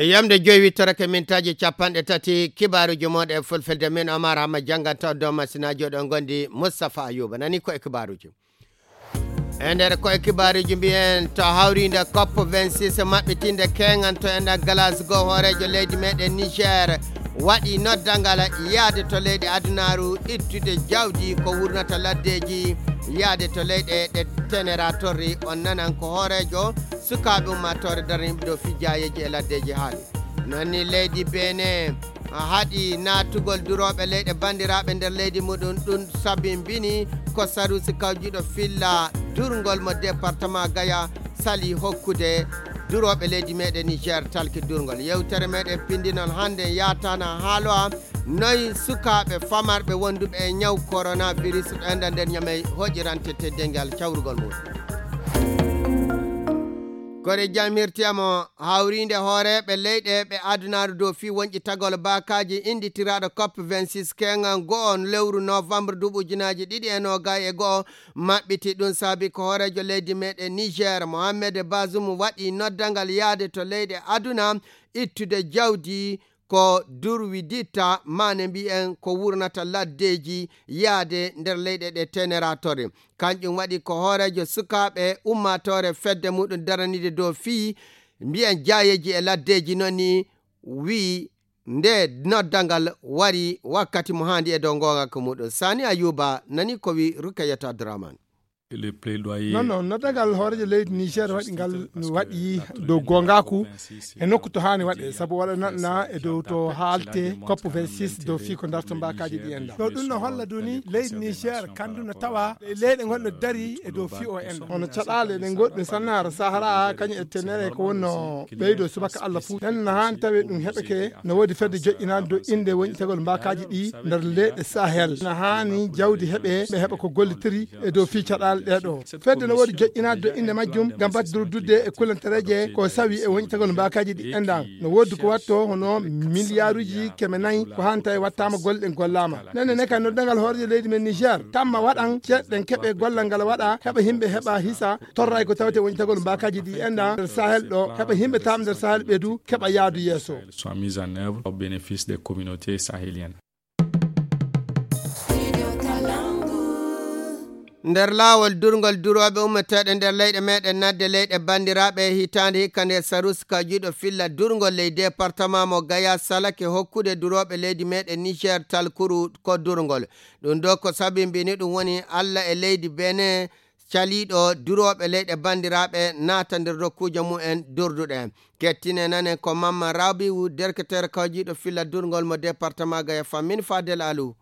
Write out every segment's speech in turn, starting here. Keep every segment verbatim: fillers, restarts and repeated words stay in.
Yamde joyi wittorake mintaaji capanɗe tati kibaaruuji mooɗon e fulfulde, min Omar Hamma jannganta on dow masinaaji oɗon ngondi Moustapha Ayuba. Nani ko e kibaaruuji. E nder ko e kibaaruuji mbiyen to hawriinde cop vingt-six maɓɓitinde keŋan to enɗan Glasgow, hooreejo leydi meɗen Niger waɗi noddangal yaade to leyɗe adunaaru ittude jawdi ko wurnata laddeeji yaade to leyɗe ɗe tenera torri. On nanan ko hooreejo sukaaɓe ummaatoore daraniiɓe dow fii jaayeeji e laddeeji haali. Non ni leydi Benin haɗi naatugol durooɓe leyɗe banndiraaɓe nder leydi muɗum. Ɗum sabimbini ko sarusi kawjiiɗo filla durngol mo département Gaya sali hokkude durooɓe leydi meɗen Niger talki durngol. Yewtere meɗen pinndi non hannde yaatana haaloa noy sukaaɓe famarɓe wonduɓe e ñaw coronavirus ɗo enɗan nder Ñamey hoƴirante teddeengal cawrugol mum. Kore jam hirtiyamo hawriinde hooreeɓe leyɗe ɓe adunaaru dow fii wonƴitagol baakaaji innditiraaɗo cop vingt-six keŋan go'o lewru novembre duuɓi ujunaaji ɗiɗi e noogay e go'o maɓɓiti. Ɗum saabi ko hooreejo leydi meɗen Niger, Mohamed Bazoum, waɗi noddangal yaade to leyɗe aduna ittude jawdi ko durwiditta, maane mbiyen ko wurnata laddeeji yaade nder leyɗe ɗe tenera torri. Kanƴum waɗi ko hooreejo sukaaɓe ummaatoore fedde muɗum daraniide dow fii mbiyen jaayeeji e laddeeji non ni wi'i nde noddangal wari wakkati mo haandi e dow ngoonga ko muɗum. Sani Ayuba nani ko wi'i Rukayatu Abdurrahman. Le plaidoyer. Non, non, noddagal hooreejo leydi Niger waɗi ngal no waɗi dow goongaaku e nokku to haani waɗe, sabu waɗa naɗna e dow to haalte cop vingt-six dow fii ko darto mbaakaaji ɗi enɗan. Ɗo ɗum no holla duni leydi Niger kandu no tawa e leyɗe ngonɗo dari e dow fii o enɗan. Hono caɗaale ɗe goɗɗe sannaara Sahara kañum e tenere ko wonno ɓeydo subaka Allah fuu. Ɗen no haani tawe ɗum heɓeke no woodi fedde joƴƴinaande dow innde wonƴitagol mbaakaaji ɗi nder leyɗe Sahel. No haani jawdi heɓe, ɓe heɓa ko gollitiri e dow fii caɗaale ɗee ɗoo. Fedde no woodi joƴƴinaade dow innde majjum ngam batte durdude e kulantereeje ko sawi e wonƴitagol mbaakaaji ɗi enɗan. No woodi ko watto hono miliyaaruuji keme nayi ko haani tawi wattaama golle ɗen gollaama. Nenne ne kay noddangal hooreejo leydi men Niger, tamma waɗan ceeɗe ɗen keɓe gollal ngal waɗa, heɓa yimɓe heɓa hisa, torra e ko tawete wonƴitagol mbaakaaji ɗi enɗan nder Sahel ɗo, heɓa yimɓe tawɓe nder Sahel ɓe du keɓa yaadu yeeso. Soit mise en œuvre au bénéfice des communautés sahéliennes. Nder laawol durngol durooɓe ummeteeɗe nder leyɗe meɗen nadde leyɗe banndiraaɓe e hitaande hikka nde Sarus Kajiɗo filla durngol ley departement mo Gaya salake hokkude durooɓe leydi meɗen Niger talkuru ko durngol. Ɗum ɗo ko sabimbini ɗum woni Allah e leydi Benin caliiɗo durooɓe leyɗe banndiraaɓe naata nder rokkuuje mumen durduɗe. Kettine nanen ko Mamma Rabiu, derketeere kawjiiɗo filla durngol mo département Gaya Fammin Fadel Alu.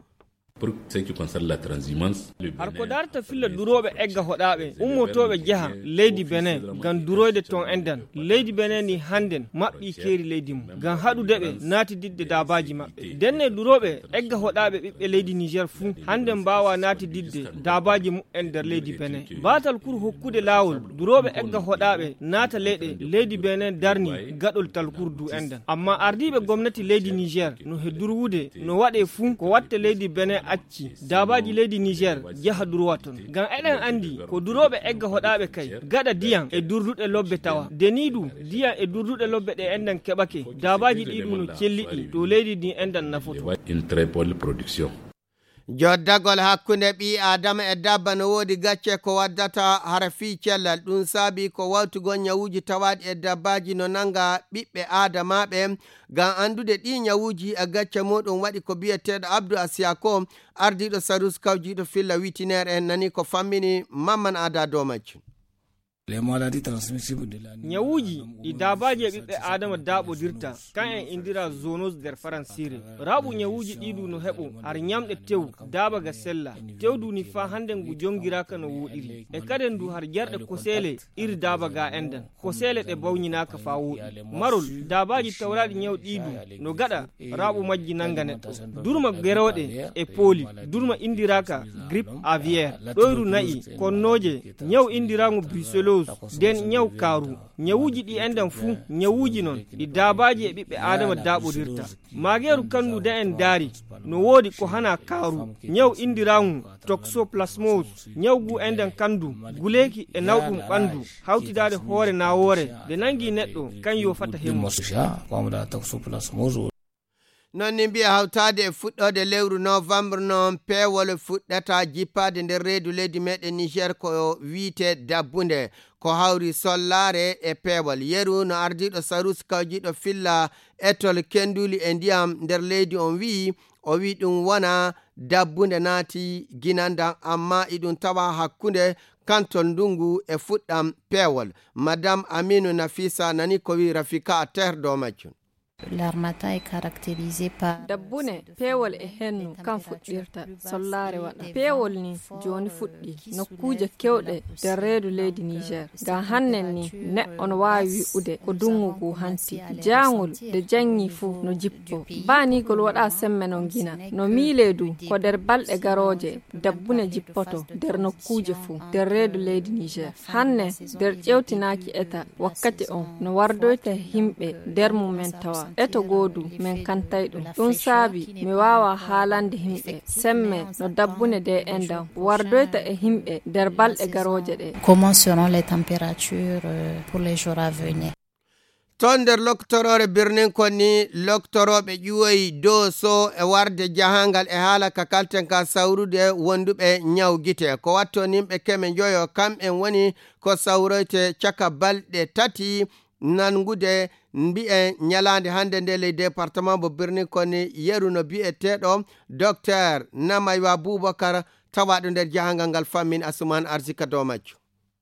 Pour ce qui concerne la transhumance, le Har ko Bénin darta filla durooɓe egga hoɗaaɓe, ummotooɓe jeha leydi Benin, ngam duroyde toon enɗan. Leydi Benin ni hannden maɓɓii keeri leydi mum, ngam haɗude ɓe naatididde daabaaji maɓɓe. Ndenne durooɓe egga hoɗaaɓe ɓiɓɓe leydi Niger fuu, hannden mbaawaa naatididde daabaaji mumen nder leydi Benin. Baatal kuru hokkude laawol, durooɓe egga hoɗaaɓe naata leyɗe, leydi Benin darni gaɗol talkuru du enɗan. Amma ardiiɓe gomnati leydi Niger no he durwude no waɗe fuu ko watte leydi Benin acci daabaaji leydi Niger jaha durwa toon. Ngam eɗen anndi ko durooɓe egga hoɗaaɓe kay gaɗa diyan e durduɗe lobbe tawa. Deni du, diyan e durduɗe lobbe ɗe enɗan keɓake, daabaaji ɗi ɗum no celliɗi to leydi ndi enɗan nafoto. Une très bonne production. Joddagol hakkunde ɓii Aadama e dabba no woodi gacce ko waddata hara fii cellal. Ɗum saabi ko wawtugol ñawuuji tawaaɗi e dabbaaji no nanga ɓiɓɓe Aadamaaɓe. Ngam anndude ɗii ñawuuji e gacce muɗum waɗi ko biyeteeɗo Abdou Asiako, ardiiɗo Sarus kawjiiɗo filla witiner en nani ko fammini Mamman Ada dow majjum. Les maladies transmissibles de l'animal. Ñawuuji ɗi daabaaji e ɓiɓɓe Aadama daaɓodirta, kan en indira zoonose nder Faransiire. Raaɓu ñawuuji ɗii du no heɓo har ñamɗe tew, daaba ga sella. Tew du ni faa hannden ngu jongiraaka no wooɗiri. E kaden du har jarɗe koseele iri daaba ga enɗan. Koseele ɗe bawñinaaka faa wooɗi. Marol, daabaaji tawraaɗi ñaw ɗii du no gaɗa raaɓu majji nanga neɗɗo. Durma gerooɗe e pooli, durma indiraaka grippe aviaire, ɗoyru na'i, konnooje, ñaw indiraangu brucellose. Nden ñaw kaaru. Ñawuuji ɗi enɗan fuu, ñawuuji non, ɗi daabaaji e ɓiɓɓe Aadama daaɓodirta. Maageeru kandu de en daari, no woodi ko hana kaaru. Ñaw indiraaŋu toxoplasmose. Ñaw gu enɗan kandu, guleeki e nawɗum ɓandu, hawtidaade hoore naawoore, de nangi neɗɗo, kan yo fata hemmu. Non ni mbiya hawtaade e fuɗɗoode lewru novembre noon, peewol fuɗɗata jippaade nder reedu leydi meɗen Niger ko wiite dabbunde. Ko hawri sollaare e peewol. Yeru no ardiiɗo Sarus kawjiiɗo filla etol kenduli e ndiyam nder leydi on wi'i, o wi'i ɗum wona dabbunde naati ginandam, amma iɗum tawa hakkunde kantol ndungu e fuɗɗam peewol. Madame Aminu Nafisa nani ko wi'i Rafika Ater dow majjum. L'harmattan est caractérisé par dabbune, peewol e hennu kan fuɗɗirta, sollaare waɗa. Peewol ni jooni fuɗɗi nokkuuje kewɗe nder reedu leydi Niger. Ngam hannen ni neɗɗo no waawi wi'ude ko dungu ngu hanti. Jaangol de jangi fuu no jippo. Baanigol waɗa semme non gina. No miile du ko nder balɗe garooje dabbune jippoto nder nokkuuje fuu nder reedu leydi Niger. Hanne nder ƴewtinaaki eta wakkati on no wardoyta himɓe nder mumen tawa. Eto goodu men kantay ɗum. Ɗum saabi mi waawa haalande himɓe semme no dabbune de enɗan wardoyta e himɓe nder balɗe garooje ɗe. Comment seront les températures, euh, pour les jours à venir? Toon nder loktoroore birnin kon ni, loktorooɓe ƴuwoyi Dooso e warde jahangal e haala ka kalten ka sawrude wonduɓe ñaw gite. Ko watto nimɓe keme njoyo, kam en woni ko sawroyte caka balɗe tati nangude mbi'en ñalaande hannde nde ley département mo birnin kon ni, yeru no bi'eteeɗo Docteur Namaywa Boubacar tawaaɗo nder jahangal ngal fammin Asuman Arzika dow majjo.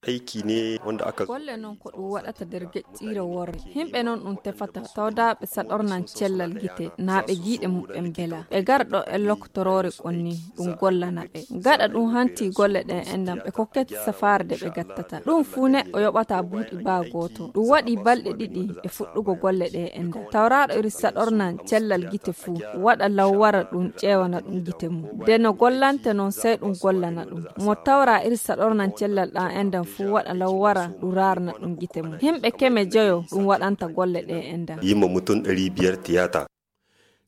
Aiki ne wanda aka zo. Golle non ko ɗum waɗata nder geƴƴiire worre. Himɓe non ɗum tefata tawdaaɓe saɗornan cellal gite, naa ɓe giiɗe muɓɓen bela. Ɓe gar ɗo e loktoroore kon ni, ɗum gollana ɓe. Gaɗa ɗum hanti golle ɗe enɗan, ɓe kokkete safaare de ɓe gattata. Ɗum fuu neɗɗo yoɓata buuɗi baa gooto. Ɗum waɗi balɗe ɗiɗi e fuɗɗugo golle ɗe enɗan. Tawraaɗo iri saɗornan cellal gite fuu, waɗa law wara ɗum ƴeewana ɗum gite mum. De no gollante non, sey ɗum gollana ɗum. Mo tawra iri saɗornan cellal ɗan enɗan fuu waɗa law wara ɗum raarna ɗum gite mum. Himɓe keme joyo ɗum waɗanta golle ɗe enɗan. Yi ma mutum ɗari biyar tiyata.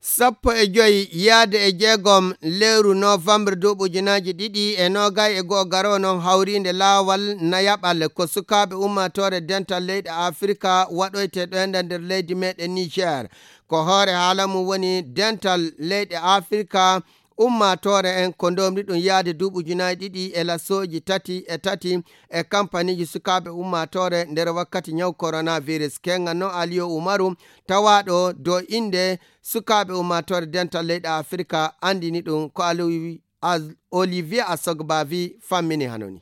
Sappo e joy yaade e jeegom lewru novembre duuɓi ujunaaji ɗiɗi e noogay e go'o garoo non hawriinde laawal nayaɓal ko sukaaɓe ummaatoore dental leyɗe Afirka waɗoyte ɗo enɗan nder leydi meɗen Niger. Ko hoore haala mum woni dental leyɗe Afirka ummaatoore en ko ndomri ɗum yaade duuɓi ujunaaji ɗiɗi e lasooji tati e tati e kampaniiji sukaaɓe ummaatoore nder wakkati ñaw coronavirus. Kenga no Aliyo Umaru tawaaɗo dow innde sukaaɓe ummaatoore dental leyɗe Afirka anndini ɗum ko Aliyu Olivier Asogbavi fammini hanoni.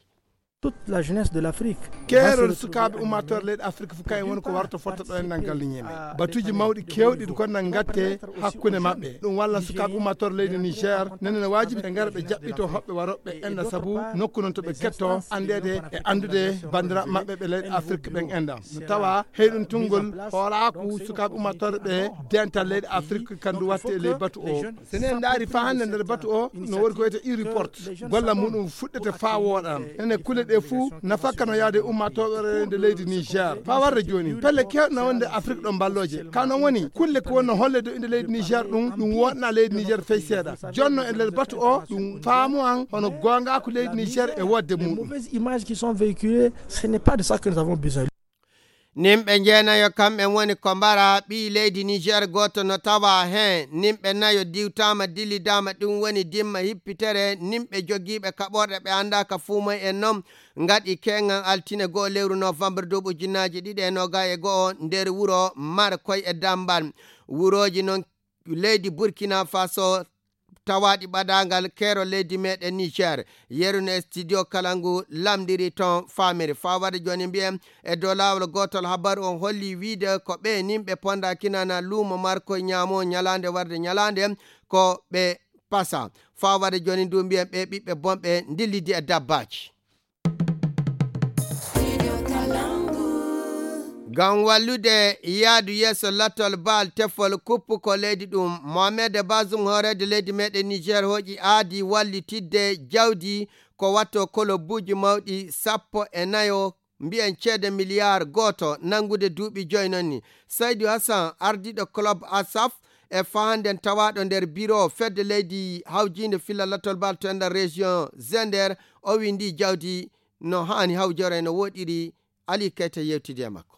Toute la jeunesse de l'Afrique. Keerol sukaaɓe ummaatoore leyɗe Afirka fof kayen woni ko warta fotta ɗo en nan galliñe men. Batuuji mawɗi keewɗi ko nan gatte hakkunde maɓɓe. Ɗum walla sukaaɓe ummaatoore leydi Niger nene no waajibi ɓe ngara ɓe jaɓɓito hoɓɓe warooɓe enɗan sabu nokku non to ɓe ketto anndeede e anndude banndiraaɓe maɓɓe ɓe leyɗe Afirka ɓen enɗan. No tawa heyɗum tunngol hoolaaku sukaaɓe ummaatoore ɓe dental leyɗe Afirka kandu watte e ley batu o. So en ndaari faa hannde nder batu o, no woni ko wiyetee e-report. Golla muɗum fuɗɗete faa wooɗa. Ene kulle ɗe fuu nafakka no yaade ummaatoore nde leydi Niger. Faa warde jooni, pelle keewɗe na wonde Afrik ɗo mballooje. Ka non woni, kulle ko wonno holle dow innde leydi Niger ɗum, ɗum wooɗna leydi Niger fey seeɗa. Jonno e nder batu o, ɗum faamu an hono goongaaku leydi Niger e wodde muɗum. Mauvaises images qui sont véhiculées, ce n'est pas de ça que nous avons besoin. Nimɓe jeenayo kamɓe woni ko mbara ɓii leydi Niger gooto no tawa heen. Nimɓe nayo diwtaama dillidaama, ɗum woni dimma hippitere. Nimɓe jogiiɓe kaɓorɗe ɓe anndaaka fuu moy en noon ngaɗi keeŋan altine go'o lewru novembre duuɓi ujunnaaji ɗiɗi e noogay e go'o nder wuro Markoy e Dambal. Wurooji noon leydi Burkina Faso tawaaɗi ɓadaangal keerol leydi meɗen Niger. Yeru no e studio kala ngu lamndiri toon faamiri. Faa waɗa jooni mbiyen e dow laawol gootol habaru on holli wiide ko ɓe nimɓe ponda kinana luumo Markoy ñaamo ñalaande warde ñalaande ko ɓe pasa. Faa waɗa jooni ndu mbiyen ɓe ɓiɓɓe bonɓe ndillidi e dabbaaji. Ngam wallude yaadu yeeso lattol baal tefol kuppu ko leydi ɗum, Mohamed Bazoum hooreede leydi meɗen Niger hooƴi aadi wallitidde jawdi ko watto kolobuuji mawɗi sappo e nayo mbiyen ceede miliyaar gooto, nanngude duuɓi joy noon ni. Saydu Hassan, ardiiɗo club Asaf, e fahanden tawaaɗo nder biro fedde leydi hawjiinde filla latol bal to enɗan région Zender, o wii ndi jawdi no haani hawjore no woɗiri. Ali Kayta yewtidi e makko.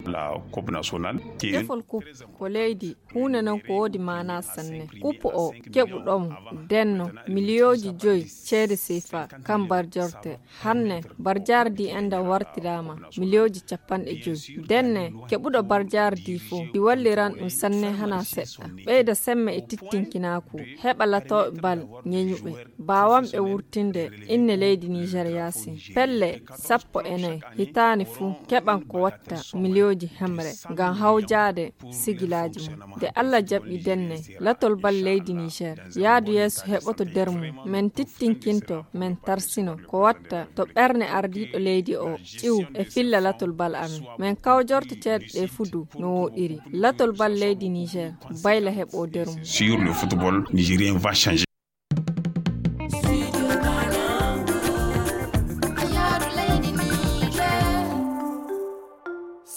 La Coupe nationale, qui est une Defol coupe ko leydi, huunde non ko woodi maanaa sanne. Coupe o keɓuɗon denno miliyooji joy ceede sefa kam barjorte. Hanne barjaari ndi enɗan wartiraama miliyooji capanɗe joy. Denne keɓuɗo barjaari ndi fof, ndi walliran ɗum sanne hanaa seɗɗa. Ɓeyda semme e tittinkinaaku, heɓa latooɓe bal ñeñuɓe, baawanɓe wurtinde inne leydi Niger yaasin. Pelle sappo e nayi hitaande fuu keɓan ko watta miliyooji hemre ngam hawjaade sigilaaji mum. Nde Alla jaɓi denne, latol bal leydi Niger yaadu yeeso heɓoto der mum. Men tittinkinto, men tarsino ko watta to ɓerne ardiiɗo leydi o ƴiw e filla latol bal amen. Men kawjorto ceeɗe ɗe fuu du no woɗiri. Latol bal leydi Niger bayla heɓo der mum. Sur le football nigérien va changer.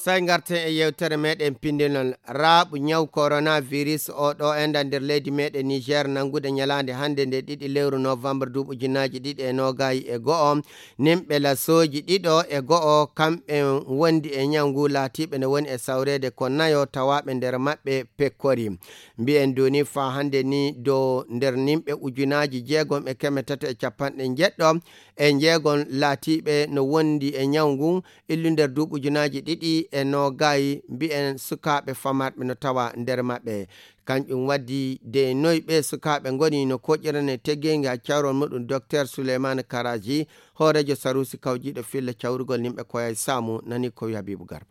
Sey ngarten e yewtere meɗen pindinol raaɓu ñaw coronavirus o ɗo enɗan nder leydi meɗen Niger, nanngude ñalaande hannde nde ɗiɗi lewru novembre duuɓi ujunnaaji ɗiɗi e noogay e go'o. Nimɓe lasooji ɗiɗo e go'o kamɓe wondi e ñaw ngu laatiiɓe ne woni e sawreede ko nayo tawaaɓe nder maɓɓe pekkori. Mbiyen duni faa hannde ni dow nder nimɓe ujunaaji jeegom e keme tati e capanɗe njeɗɗo e njeegom laatiiɓe no wondi e ñaw ngun illu nder duuɓi ujunaaji ɗiɗi e noogay. Mbiyen sukaaɓe famarɓe no tawa nder maɓɓe. Kanƴum waddi de noy ɓe sukaaɓe ngoni no koƴirane teggeenga cawrol muɗum Docteur Souleymane Karaji, hooreejo saruusi kawjiiɗo filla cawrugol nimɓe koyay saamu nani ko wi Habibu Garba.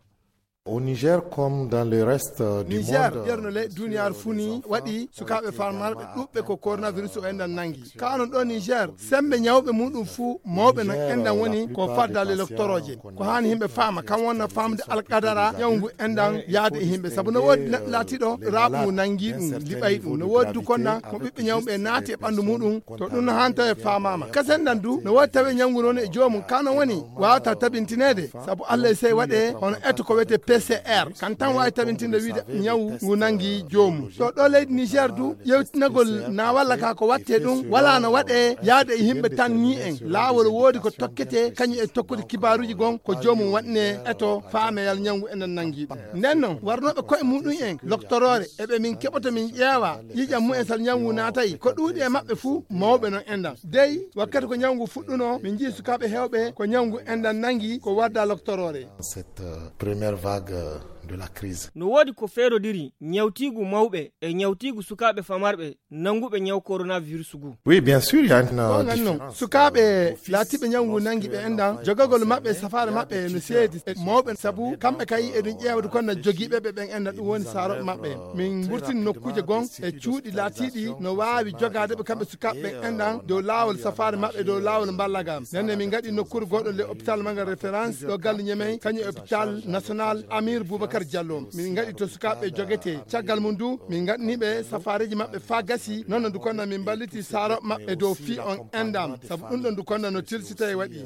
Au Niger, comme dans le reste du Niger, monde, ƴeerno leyɗe duniyaaru fuu ni waɗi sukaaɓe famarɓe ɗuɓɓe ko coronavirus o enɗan nangi. Ka onon ɗo Niger, sembe ñawɓe muɗum fuu mawɓe non enɗan woni ko faddaale loktorooje. Ko haani himɓe faama, kam wonna faamde alqadara ñaw ngu enɗan yaade e himɓe. Sabu no woodi neɗɗo laatiiɗo raaɓu ngu nangi ɗum, liɓay ɗum. No woodi du konɗan mo ɓiɓɓe ñawɓe naati e ɓanndu muɗum, to ɗum no haani tawe faamaama. Kasen ɗan du, no woodi tawe ñaw ngu noon e joomum, ka no woni waawata tabintineede. Sabu Allah e sey waɗe hono eto ko wiyetee P C R. Kan tan waawi tabintinde wiide ñaw ngu nangi joomum. To ɗo leydi Niger du, yewtinagol na walla ka ko watte ɗum, wala no waɗe yaade e yimɓe tan ni en. Laawol woodi ko tokkete, kañum e tokkude kibaaruuji gon ko joomum waɗne eto faameyal ñaw ngu enen nangi ɗum. Nden noon, warnooɓe koye muɗum en, loktoroore, eɓe min keɓoto min ƴeewa ƴiiƴam mumen sal ñaw ngu naatay, ko ɗuuɗi e maɓɓe fuu, mawɓe non enɗan. Dey, wakkati ko ñaw ngu fuɗɗunoo, min njii sukaaɓe heewɓe ko ñaw ngu enɗan nangi, ko warda loktoroore. Cette, euh, première vague, euh, de la crise. No woodi ko feerodiri ñawtiigu mawɓe e ñawtiigu sukaaɓe famarɓe nannguɓe ñaw coronavirus ngu. Oui, bien sûr, il y a une, euh, Goonga non, différence. Sukaaɓe laatiiɓe ñaw ngu nangi ɓe enɗan, jogagol maɓɓe e safaare maɓɓe no seedi e mawɓe, sabu kamɓe kay eɗum ƴeewde kono jogiiɓe ɓe ɓen enɗan, ɗum woni saarooɓe maɓɓe. Min ngurtini nokkuuje gon e cuuɗi laatiiɗi no waawi jogaade ɓe kamɓe sukaaɓe ɓen enɗan dow laawol safaare maɓɓe, dow laawol mballaga. Nden ne min ngaɗi nokkuure gooto le hôpital Manga référence ɗo galle Ñemey, kañum e hôpital national Amir Boubacar Diallo. Min ngaɗi to sukaaɓe jogetee. Caggal mum du, min ngaɗni ɓe safaareeji maɓɓe faa gasi. Noon no du kono min mballiti saarooɓe maɓɓe dow fii on enɗan. Sabu ɗum ɗon du kono no tilsita e waɗi.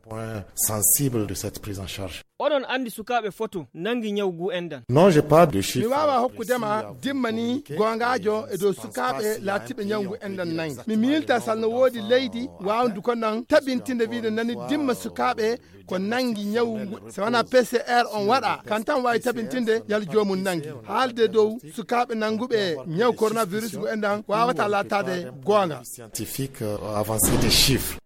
Point sensible de cette prise en charge. Oɗon anndi sukaaɓe foto nangi ñaw ngu enɗan? Non, j'ai pas de chiffre. Mi waawaa hokkude ma dimma ni goongaajo e dow sukaaɓe laatiiɓe ñaw ngu enɗan nangi. Mi miilta sal no woodi leydi waawndu ko nan tabintinde wiide nani dimma sukaaɓe ko nangi ñaw ngu. So wanaa P C R on waɗa, kan tan waawi tabintinde yal joomum nangi. Haalde dow sukaaɓe nannguɓe ñaw coronavirus ngu enɗan waawata laataade goonga. Scientifique, euh, avancée des chiffres.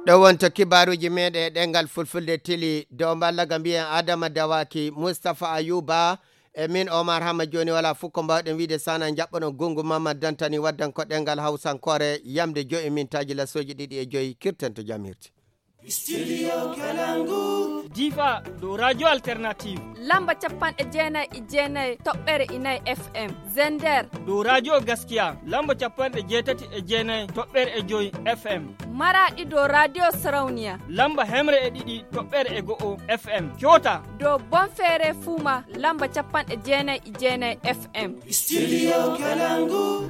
Ɗo wonto kibaaruuji meeɗen e ɗemngal fulfulde tili dow mballaga mbiyen Adama Dawaki, Mustapha Ayuba, e min Omar Hamma. Jooni walaa fof ko mbaawɗen wiide sana njaɓɓoɗon gonngu Mamad Dantani waddan ko ɗemngal Hawsankoore, yamde joyi mintaaji lasooji ɗiɗi e joyi, kirten to jam hirti. Studio Kalangu. Difa dow Radio Alternative. Lamba capanɗe jeenayi e jeenayi toɓɓere inayi F M. Zender. Dow Radio Gaskiya. Lamba capanɗe jeetati e jeenayi toɓɓere e joyi F M. Maraɗi dow Radio Sarauniya. Lamba hemre e ɗiɗi toɓɓere e go'o F M. Kyota. Dow Bonfere Fuma. Lamba capanɗe jeenayi e jeenayi F M. Studio Kalangu.